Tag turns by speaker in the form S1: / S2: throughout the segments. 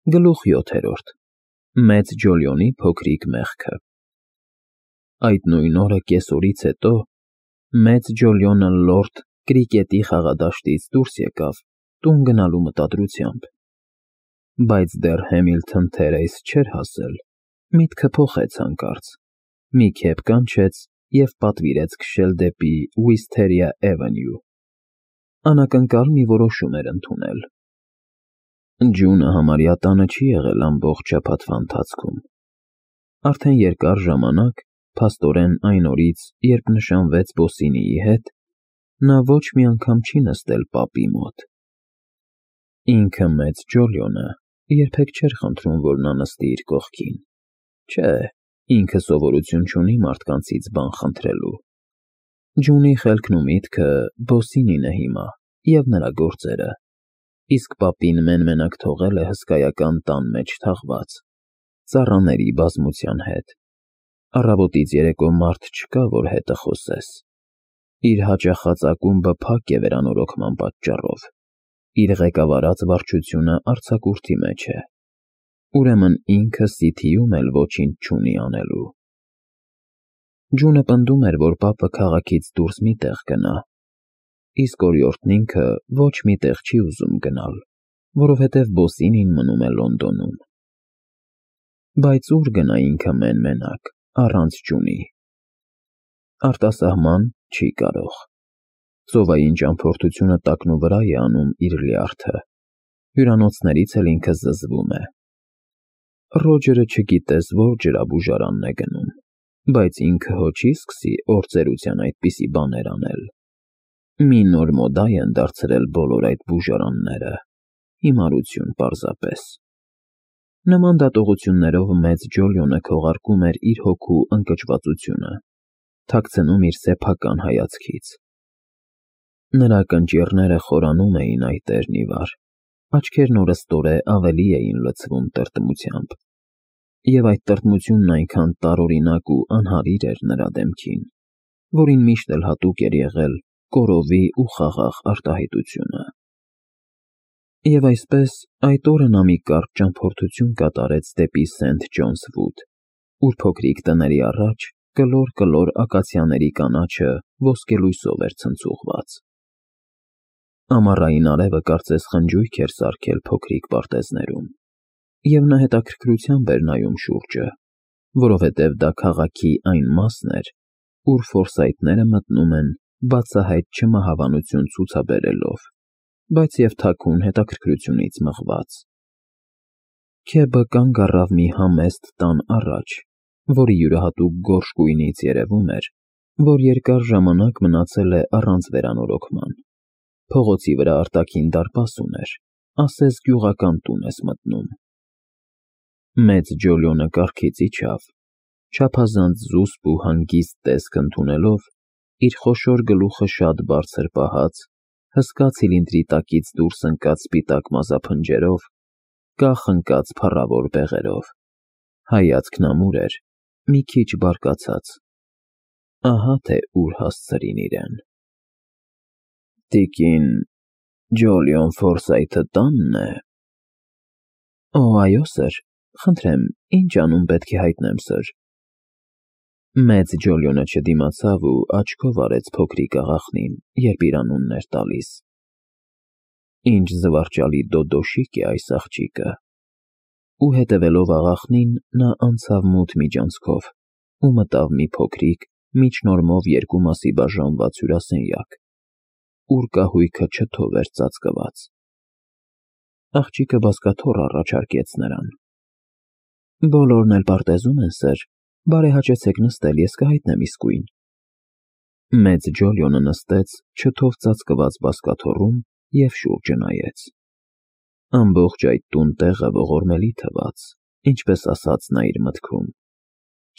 S1: Գլուխ 7. Մեծ Ջոլիոնի փոքրիկ մեղքը։ Այդ նույն օրը կեսօրից հետո Մեծ Ջոլիոնը լորդ Կրիկետի խաղադաշտից դուրս եկավ տուն գնալու մտադրությամբ, բայց դեռ Համիլթոն Թերեյս չէր հասել, միտքը փոխեց հանկարծ, մի քեֆ կանչեց և պատվիրեց քշել դեպի Wisteria Avenue։ Անակնկալ մի որոշում էր ընդունել։ Ջունը համարյա տանը չի եղել ամբողջ շաբաթվա ընթացքում։ Արդեն երկար ժամանակ, փաստորեն այն օրից, երբ նշանվեց Բոսինիի հետ, նա ոչ մի անգամ չի նստել պապի մոտ։ Ինքը Մեծ Ջոլիոնը երբեք չէր խնդրում, որ նա նստի իր կողքին։ Չէ, ինքը սովորություն չունի մարդկանցից բան խնդրելու։ Ջունի խելքն ու միտքը Բոսինին է հիմա և նրա գործերը, իսկ պապին մեն֊մենակ թողել է հսկայական տան մեջ թաղված, ծառաների բազմության հետ։ Առավոտից երեկո մարդ չկա, որ հետը խոսես։ Իր հաճախած ակումբը փակ է վերանորոգման պատճառով, իր ղեկավարած վարչությունը արձակուրդի մեջ է, ուրեմն ինքը Սիթիում էլ ոչինչ չունի անելու։ Ջունը պնդում էր, որ պապը քաղաքից դուրս մի տեղ գնա, իսկ օրիորդն ինքը ոչ մի տեղ չի ուզում գնալ, որովհետև Բոսինին մնում է Լոնդոնում։ Բայց ուր գնա ինքը մեն֊մենակ, առանց Ջունի։ Արտասահման չի կարող։ Ծովային ճամփորդությունը տակնուվրա է անում իր լյարդը, հյուրանոցներից էլ ինքը զզվում է։ Ռոջերը չգիտես որ ջրաբուժարանն է գնում, բայց ինքը հո չի սկսի օրծերության այդպիսի բաներ անել։ Մի նոր մոդա են դարձրել բոլոր այդ բուժարանները, հիմարություն պարզապես։ Նման դատողություններով Մեծ Ջոլիոնը քողարկում էր իր հոգու ընկճվածությունը, թաքցնում իր սեփական հայացքից։ Նրա կնճիռները խորանում էին այտերն ի վար, աչքերն օրըստօրե ավելի էին լցվում տրտմությամբ, և այդ տրտմությունն այնքան տարօրինակ ու անհարիր էր նրա դեմքին, որին միշտ էլ հատուկ էր եղել կորովի ու խաղաղ արտահայտությունը։ Եվ այսպես, այդ օրը նա մի կարճ ճամփորդություն կատարեց դեպի Սենթ Ջոնս Վուդ, ուր փոքրիկ տների առաջ կլոր ակացիաների կանաչը ոսկելույսով էր ցնցուղված։ Ամառային արևը կարծես խնջույք էր սարքել փոքրիկ պարտեզներում, և նա հետաքրքրությամբ էր նայում շուրջը, որովհետև դա քաղաքի այն մասն էր, ուր ֆորսայթները մտնում են բացահայտ չմահավանություն ցուցաբերելով, բայց և թաքուն հետաքրքրությունից մղված։ Քեբը կանգ առավ մի համեստ տան առաջ, որի յուրահատուկ գորշ գույնից երևում էր, որ երկար ժամանակ մնացել է առանց վերանորոգման։ Փողոցի վրա արտաքին դարպաս ուներ, ասես գյուղական տուն ես մտնում։ Մեծ Ջոլիոնը կառքից իջավ, չափազանց զուսպ ու հանգիստ տեսք ընդունելով, իր խոշոր գլուխը շատ բարձր պահած, հսկա ցիլինդրի տակից դուրս ընկած սպիտակ մազափնջերով, կախ ընկած փառավոր բեղերով, հայացքն ամուր էր, մի քիչ բարկացած։ Ահա թե ուր հասցրին իրեն։ Տիկին Ջոլիոն Ֆորսայթը տանն է։ Օ, այո, սըր, խնդրեմ, ինչ անուն պետք է հայտնեմ, սըր։ Մեծ Ջոլիոնը չդիմացավ ու աչքով արեց փոքրիկ աղախնին, երբ իր անունն էր տալիս։ Ինչ զվարճալի դոդոշիկ է այս աղջիկը։ Ու հետևելով աղախնին, նա անցավ մութ միջանցքով ու մտավ մի փոքրիկ, միջնորմով երկու մասի բաժանված հյուրասենյակ, ուր կահույքը չթով էր ծածկված։ Աղջիկը բազկաթոռ առաջարկեց նրան։ Բոլորն էլ պարտեզում են, սըր, բարեհաճեցեք նստել, ես կհայտնեմ իսկույն։ Մեծ Ջոլիոնը նստեց չթով ծածկված բազկաթոռում և շուրջը նայեց։ Ամբողջ այդ տուն֊տեղը ողորմելի թվաց, ինչպես ասաց նա իր մտքում։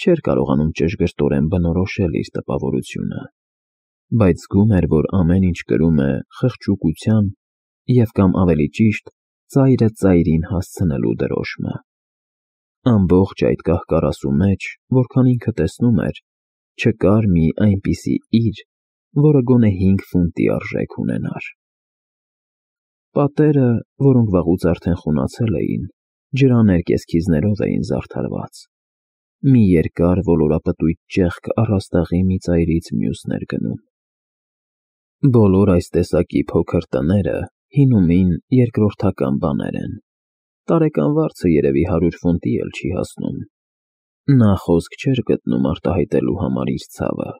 S1: Չէր կարողանում ճշգրտորեն բնորոշել իր տպավորությունը, բայց զգում էր, որ ամեն ինչ կրում է խղճուկության և կամ ավելի ճիշտ, ծայրը ծայրին հասցնելու դրոշմը։ Ամբողջ այդ կահ֊կարասու մեջ, որքան ինքը տեսնում էր, չկար մի այնպիսի իր, որը գոնե 5 ֆունտի արժեք ունենար։ Պատերը, որոնք վաղուց արդեն խունացել էին, ջրաներ կեսքիզներով էին զարդարված։ Մի երկար ոլորապտույտ ճեղք առաստաղի մի ծայրից մյուսն էր գնում։ Բոլոր այս տեսակի փոքր տները հինումին երկրորդական բաներ են։ Տարեկան վարձը երևի 100 ֆունտի էլ չի հասնում։ Նա խոսք չէր գտնում արտահայտելու համար իր ցավը։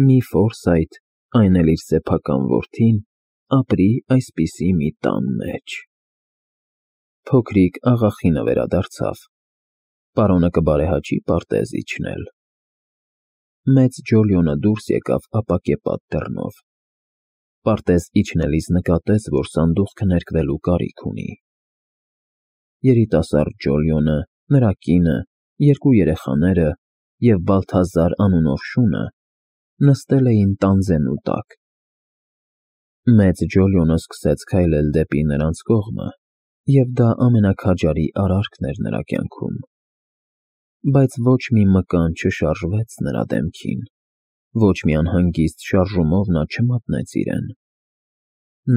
S1: Մի Ֆորսայթ, այն էլ իր սեփական որդին, ապրի այսպիսի մի տան մեջ։ Փոքրիկ աղախինը վերադարձավ։ Պարոնը կբարեհաճի պարտեզ իջնել։ Մեծ Ջոլիոնը դուրս եկավ ապակեպատ դռնով։ Պարտեզ իջնելիս նկատեց, որ սանդուղքը ներկվելու կարիք ունի։ Երիտասարդ Ջոլիոնը, նրա կինը, երկու երեխաները և Բալթազար անունով շունը նստել էին տանձենու տակ։ Մեծ Ջոլիոնը սկսեց քայլել դեպի նրանց կողմը, և դա ամենաքաջարի արարքն էր նրա կյանքում։ Բայց ոչ մի մկան չշարժվեց նրա դեմքին, ոչ մի անհանգիստ շարժումով նա չմատնեց իրեն։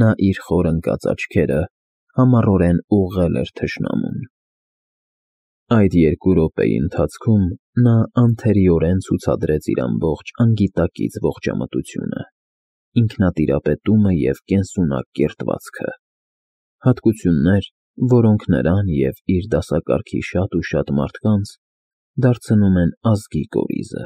S1: Նա իր խոր ընկած աչքերը համառորեն ուղղել էր թշնամուն։ Այդ 2 րոպեի ընթացքում նա անթերիորեն ցուցադրեց իր ամբողջ անգիտակից ողջամտությունը, ինքնատիրապետումը և կենսունակ կերտվածքը, հատկություններ, որոնք նրան և իր դասակարգի շատ ու շատ մարդկանց դարձնում են ազգի կորիզը։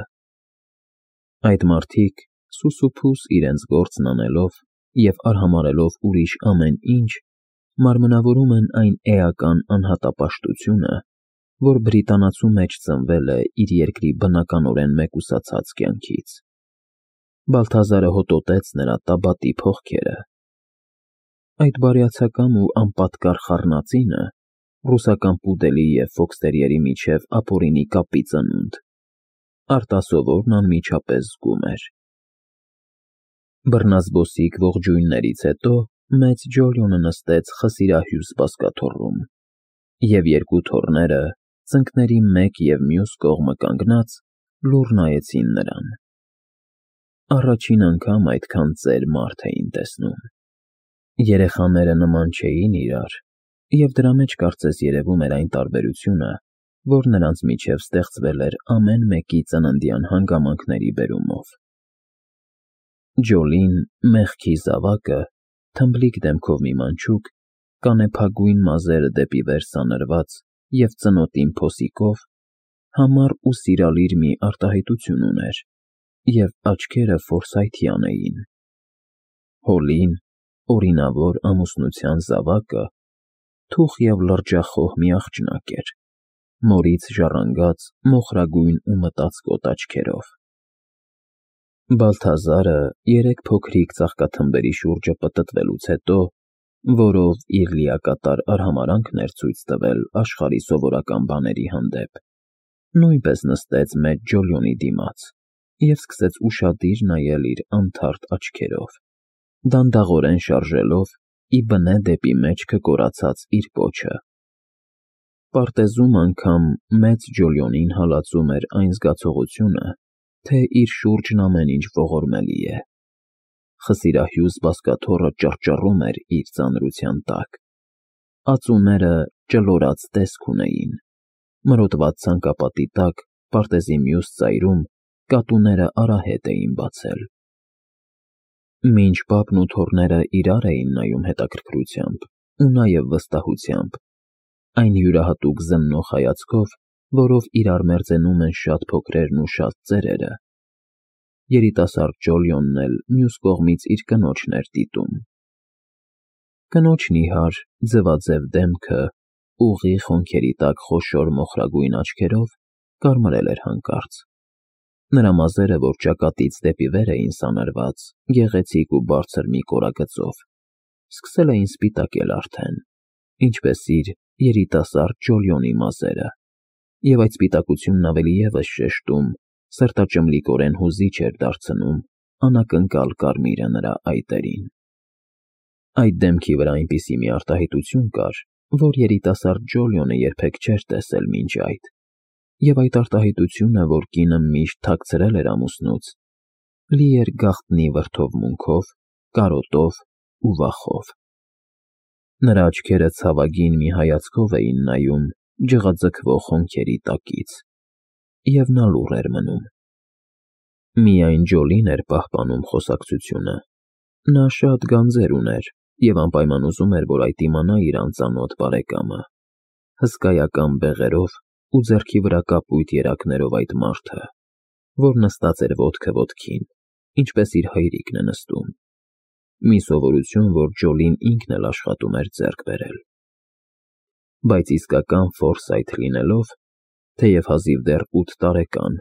S1: Այդ մարդիկ, սուսուփուս իրենց գործն անելով և արհամարհելով ուրիշ ամեն ինչ, մարմնավորում են այն էական անհատապաշտությունը, որ բրիտանացու մեջ ծնվել է իր երկրի բնականորեն մեկուսացած կյանքից։ Բալթազարը հոտոտեց նրա տաբատի փողքերը։ Այդ բարյացակամ ու անպատկառ խառնածինը ռուսական պուդելի և ֆոքստերիերի միջև ապօրինի կապի ծնունդ, արտասովորն անմիջապես զգում էր։ Բռնազբոսիկ ողջույններից հետո մեծ Ջոլիոնը նստեց խսիրահյուս բազկաթոռում, և 2 թոռները, ծնկների մեկ և մյուս կողմը կանգնած, լուռ նայեցին նրան։ Առաջին անգամ այդքան ծեր մարդ էին տեսնում։ Երեխաները նման չէին իրար, և դրա մեջ կարծես երևում էր այն տարբերությունը, որ նրանց միջև ստեղծվել էր ամեն մեկի ծննդյան հանգամանքների բերումով։ Ջոլին, մեղքի զավակը, թմբլիկ դեմքով մի մանչուկ, կանեփագույն մազերը դեպի վեր սանրված և ծնոտին փոսիկով, համառ ու սիրալիր մի արտահայտություն ուներ, և աչքերը ֆորսայթյան էին։ Հոլին, օրինավոր ամուսնության զավակը, թուխ և լրջախոհ մի աղջնակ էր, մորից ժառանգած մոխրագույն ու մտածկոտ աչքերով։ Բալթազարը 3 փոքրիկ ծաղկաթմբերի շուրջը պտտվելուց հետո, որով իր լիակատար արհամարհանքն էր ցույց տվել աշխարհի սովորական բաների հանդեպ, նույնպես նստեց մեծ Ջոլիոնի դիմաց և սկսեց ուշադիր նայել իր անթարթ աչքերով, դանդաղորեն շարժելով ի բնե դեպի մեջքը կորացած իր պոչը։ Պարտեզում անգամ մեծ Ջոլիոնին հալածում էր այն զգացողությունը, թե իր շուրջն ամեն ինչ ողորմելի է։ Խսիրահյուս բազկաթոռը ճռճռում էր իր ծանրության տակ։ Ածուները ճլորած տեսք ունեին։ Մրոտված ցանկապատի տակ, պարտեզի մյուս ծայրում, կատուները արահետ էին բացել։ Մինչ պապն ու թոռները իրար էին նայում հետաքրքրությամբ ու նաև վստահությամբ, այն յուրահատուկ զննող հայացքով, որով իրար մերձենում են շատ փոքրերն ու շատ ծերերը, երիտասարդ Ջոլիոնն էլ մյուս կողմից իր կնոջն էր դիտում։ Կնոջ նիհար, ձվաձև դեմքը, ուղիղ հոնքերի տակ խոշոր մոխրագույն աչքերով կարմրել էր հանկարծ։ Նրա մազերը, որ ճակատից դեպի վեր էին սանրված, գեղեցիկ ու բարձր մի կորագծով, սկսել էին սպիտակել արդեն, ինչպես իր երիտասարդ Ջոլիոնի մազերը, և այդ սպիտակությունն ավելի ևս շեշտում, սրտաճմլիկորեն հուզիչ էր դարձնում անակնկալ կարմիրը նրա այտերին։ Այդ դեմքի վրա այնպիսի մի արտահայտություն կար, որ երիտասարդ Ջոլիոնը երբեք չէր տեսել մինչ այդ, և այդ արտահայտությունը, որ կինը միշտ թաքցրել էր ամուսնուց, լի էր գաղտնի վրդովմունքով, կարոտով ու վախով։ Նրա աչքերը ցավագին մի հայացքով էին նայում ջղաձգվող հոնքերի տակից, և նա լուռ էր մնում։ Միայն Ջոլին էր պահպանում խոսակցությունը։ Նա շատ գանձեր ուներ և անպայման ուզում էր, որ այդ իմանա իր անծանոթ բարեկամը, հսկայական բեղերով ու ձեռքի վրա կապույտ երակներով այդ մարդը, որ նստած էր ոտքը ոտքին, ինչպես իր հայրիկն է նստում, մի սովորություն, որ Ջոլին ինքն էլ աշխատում էր ձեռք բերել։ Բայց իսկական Ֆորսայթ լինելով, թեև հազիվ դեռ 8 տարեկան,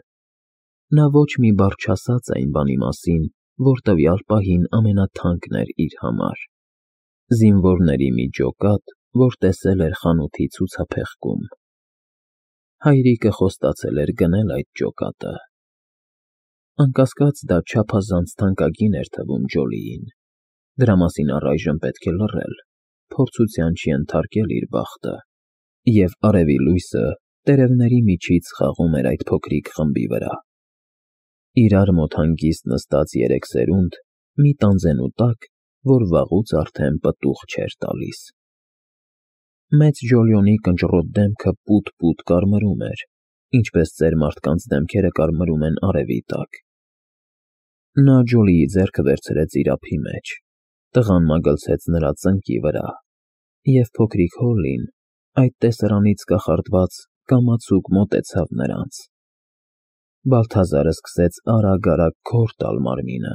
S1: նա ոչ մի բառ չասաց այն բանի մասին, որ տվյալ պահին ամենաթանկն էր իր համար. զինվորների մի ջոկատ, որ տեսել էր խանութի ցուցափեղկում։ Հայրիկը խոստացել էր գնել այդ ջոկատը։ Անկասկած դա չափազանց թանկագին էր թվում Ջոլիին։ Դրա մասին առայժմ պետք է լռել, փորձության չենթարկել իր բախտը, և արևի լույսը տերևների միջից խաղում էր այդ փոքրիկ խմբի վրա։ Իրար մոտ հանգիստ նստած երեք սերունդ մի տանձենու տակ, որ վաղուց արդեն պտուղ չէր տալիս։ Մեծ Ջոլիոնի կնճռոտ դեմքը պուտ-պուտ կարմրում էր, ինչպես ծեր մարդկանց դեմքերը կարմրում են արևի տակ։ Նա Ջոլիի ձեռքը վերցրեց իր ափի մեջ, տղան մագլցեց նրա ծնկի վրա, և փոքրիկ Հոլլին, այդ տեսարանից կախարդված, կամացուկ մոտեցավ նրանց։ Բալթազարը սկսեց արագ-արագ քոր տալ մարմինը։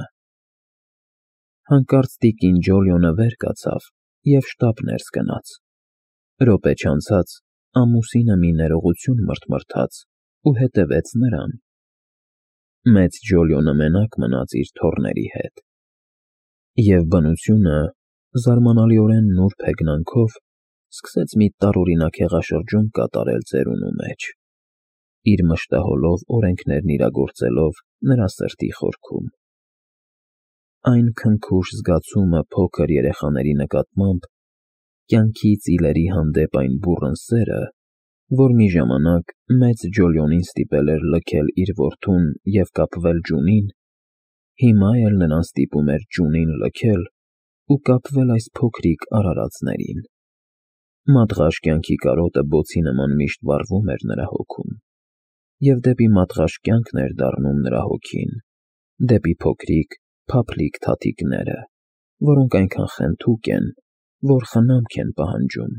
S1: Հանկարծ տիկին Ջոլիոնը վեր կացավ և շտապ ներս գնաց։ Րոպե չանցած ամուսինը մի ներողություն մրթմրթաց ու հետևեց նրան։ Մեծ Ջոլիոնը մենակ մնաց իր թոռների հետ։ Եվ բնությունը, զարմանալիորեն նուրբ հեգնանքով, սկսեց մի տարօրինակ հեղաշրջում կատարել ծերունու մեջ, իր մշտահոլով օրենքներն իրագործելով նրա սրտի խորքում։ Այն քնքուշ զգացումը փոքր երեխաների նկատմամբ, կյանքի ծիլերի հանդեպ այն բուռն սերը, որ մի ժամանակ մեծ Ջոլիոնին ստիպել էր լքել իր որդուն և կապվել Ջունին, հիմա էլ նրան ստիպում էր Ջունին լքել ու կապվել այս փոքրիկ արարածներին։ Մատղաշ կյանքի կարոտը բոցի նման միշտ վառվում էր նրա հոգում, և դեպի մատղաշ կյանքն էր դառնում նրա հոգին, դեպի փոքրիկ, փափլիկ թաթիկները, որոնք այնքան խենթուկ են, որ խնամք են պահանջում,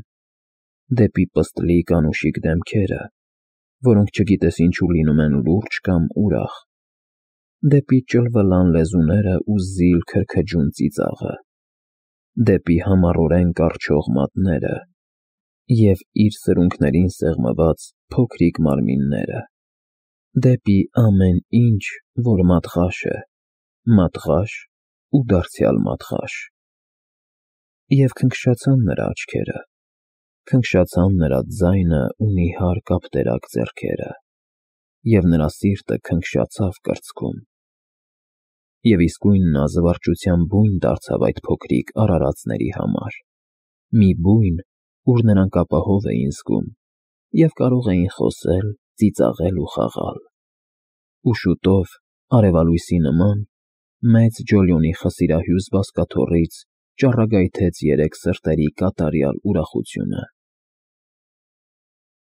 S1: դեպի պստլիկ անուշիկ դեմքերը, որոնք չգիտես ինչու լինում են լուրջ կամ ուրախ, դեպի ճլվլան լեզուները ու զիլ քրքջուն ծիծաղը, դեպի համառորեն կառչող մատները և իր սրունքներին սեղմված փոքրիկ մարմինները, դեպի ամեն ինչ, որ մատղաշ է, մատղաշ ու դարձյալ մատղաշ։ Եվ քնքշացան նրա աչքերը, քնքշացան նրա ձայնը ու նիհար կապտերակ ձեռքերը, և նրա սիրտը քնքշացավ կրծքում։ Եվ իսկույն նա զվարճության բույն դարձավ այդ փոքրիկ արարածների համար, մի բույն, ուր նրանք ապահով էին զգում և կարող էին խոսել, ծիծաղել ու խաղալ։ Ու շուտով, արևալույսի նման, մեծ Ջոլիոնի խսիրահյուզ բազկաթոռից ճառագայթեց երեք սրտերի կատարյալ ուրախությունը։